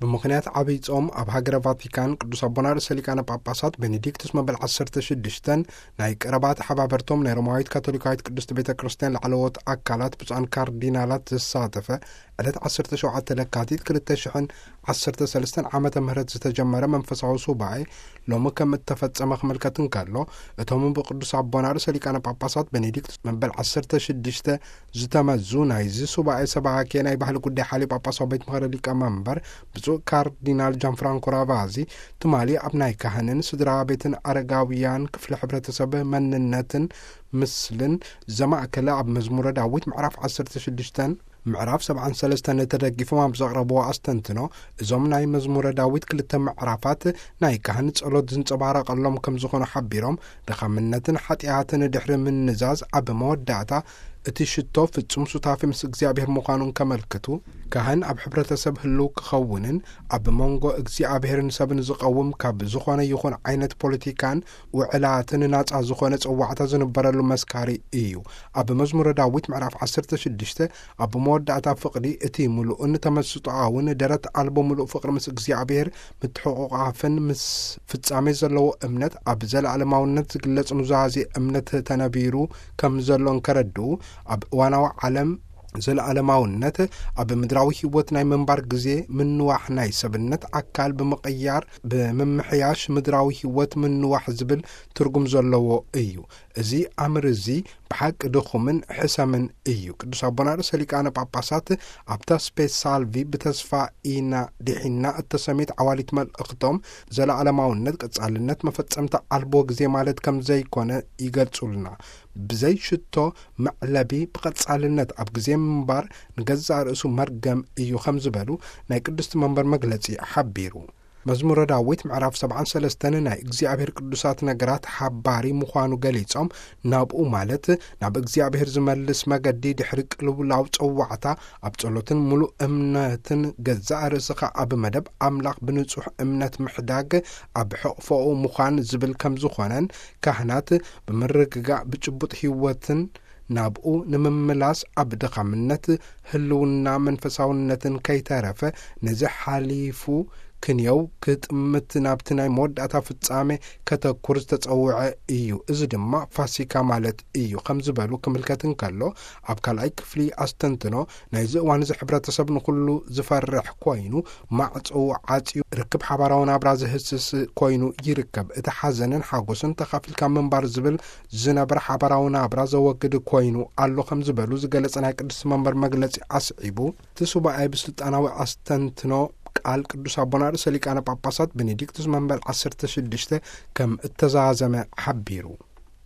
ብምኽንያት ዓብይ ጾም ኣብ ሃገረ ቫቲካን ቅዱስ ኣቦና ርእሰ ሊቃነ ጳጳሳት ቤኔዲክቱስ መበል ዓሰርተ ሽዱሽተን ናይ ቀረባ ተሓባበርቶም ናይ ሮማዊት ካቶሊካዊት ቅድስት ቤተ ክርስቲያን ላዕለዎት ኣካላት ብፁዓን ካርዲናላት ዘሳተፈ ዕለት ዓሰርተ ሸውዓተ ለካቲት ክልተ ሽሕን ዓሰርተ ሰለስተን ዓመተ ምህረት ዝተጀመረ መንፈሳዊ ሱባኤ ሎሚ ከም እተፈጸመ ክምልከት እንከሎ፣ እቶም ብቅዱስ ኣቦና ርእሰ ሊቃነ ጳጳሳት ቤኔዲክቱስ መበል ዓሰርተ ሽዱሽተ ዝተመዙ ናይዚ ሱባኤ ሰባኬ ናይ ባህሊ ጉዳይ ሓልዮ ጳጳሳዊ ቤት ምኽሪ ሊቀ መንበር ብፁዕ ካርዲናል ጃንፍራንኮ ራቫዚ ትማሊ ኣብ ናይ ካህንን ስድራ ቤትን ኣረጋውያን ክፍሊ ሕብረተሰብ መንነትን ምስልን ዘማእከለ ኣብ መዝሙረ ዳዊት ምዕራፍ ዓሰርተ ሽዱሽተን ምዕራፍ ሰብዓን ሰለስተን ተደጊፎም ኣብ ዘቕረብዎ ኣስተንትኖ፣ እዞም ናይ መዝሙረ ዳዊት ክልተ ምዕራፋት ናይ ካህን ጸሎት ዝንጸባረቐሎም ከም ዝኾኑ ሓቢሮም፣ ድኻምነትን ሓጢኣትን ድሕሪ ምንዛዝ ኣብ መወዳእታ እቲ ሽቶ ፍጹም ሱታፌ ምስ እግዚኣብሔር ምዃኑን ከመልክቱ፣ ካህን ኣብ ሕብረተሰብ ህልው ክኸውንን ኣብ መንጎ እግዚኣብሔርን ሰብን ዝቐውም ካብ ዝኾነ ይኹን ዓይነት ፖለቲካን ውዕላትን ናጻ ዝኾነ ጽዋዕታ ዝንበረሉ መስካሪ እዩ። ኣብ መዝሙረ ዳዊት ምዕራፍ ዓሰርተ ሽዱሽተ ኣብ መወዳእታ ፍቕዲ እቲ ምሉእን ተመስጦኣውን ደረት ኣልቦ ምሉእ ፍቕሪ ምስ እግዚኣብሔር ምትሕቑቓፍን ምስ ፍጻሜ ዘለዎ እምነት ኣብ ዘለኣለማውነት ዝግለጽ ኑዛዜ እምነት ተነቢሩ ከም ዘሎ እንከረድኡ፣ ኣብ እዋናዊ ዓለም ዘለኣለማውነት ኣብ ምድራዊ ህይወት ናይ ምንባር ግዜ ምንዋሕ ናይ ሰብነት ኣካል ብምቕያር ብምምሕያሽ ምድራዊ ህይወት ምንዋሕ ዝብል ትርጉም ዘለዎ እዩ። እዚ ኣምር እዚ ብሓቂ ድኹምን ሕሰምን እዩ። ቅዱስ ኣቦና ርእሰ ሊቃነ ጳጳሳት ኣብታ ስፔስ ሳልቪ ብተስፋ ኢና ድሒና እተሰምየት ዓዋሊት መልእኽቶም ዘለኣለማውነት ቀጻልነት መፈጸምታ ኣልቦ ግዜ ማለት ከም ዘይኮነ ይገልጹልና። ብዘይ ሽቶ መዕለቢ ብቐጻልነት ኣብ ግዜ ምንባር ንገዛእ ርእሱ መርገም እዩ ከም ዝበሉ ናይ ቅድስቲ መንበር መግለጺ ሓቢሩ። መዝሙረ ዳዊት ምዕራፍ ሰብዓን ሰለስተን ናይ እግዚኣብሔር ቅዱሳት ነገራት ሓባሪ ምዃኑ ገሊጾም፣ ናብኡ ማለት ናብ እግዚኣብሔር ዝመልስ መገዲ ድሕሪ ቅልውላው ጸዋዕታ ኣብ ጸሎትን ምሉእ እምነትን ገዛእ ርእስኻ ኣብ መደብ ኣምላኽ ብንጹሕ እምነት ምሕዳግ ኣብ ሕቕፎኡ ምዃን ዝብል ከም ዝኾነን ካህናት ብምርግጋእ ብጭቡጥ ህይወትን ናብኡ ንምምላስ ኣብ ድኻምነት ህልውና መንፈሳውነትን ከይተረፈ ነዚ ሓሊፉ ክንየው ክጥምት ናብቲ ናይ መወዳእታ ፍጻሜ ከተኩር ዝተጸውዐ እዩ። እዚ ድማ ፋሲካ ማለት እዩ ከም ዝበሉ ክምልከት እንከሎ፣ ኣብ ካልኣይ ክፍሊ ኣስተንትኖ ናይዚ እዋን እዚ ሕብረተሰብ ንኹሉ ዝፈርሕ ኮይኑ ማዕጾኡ ዓጽዩ ርክብ ሓባራዊ ናብራ ዝህስስ ኮይኑ ይርከብ። እቲ ሓዘንን ሓጎስን ተኻፊልካ ምንባር ዝብል ዝነበረ ሓባራዊ ናብራ ዘወግድ ኮይኑ ኣሎ ከም ዝበሉ ዝገለጸ ናይ ቅድስቲ መንበር መግለጺ ኣስዒቡ፣ እቲ ሱባኤ ብስልጣናዊ ኣስተንትኖ ቃል ቅዱስ ኣቦና ርእሰ ሊቃነ ጳጳሳት ቤኔዲክቱስ መንበር ዓሰርተ ሽዱሽተ ከም እተዛዘመ ሓቢሩ።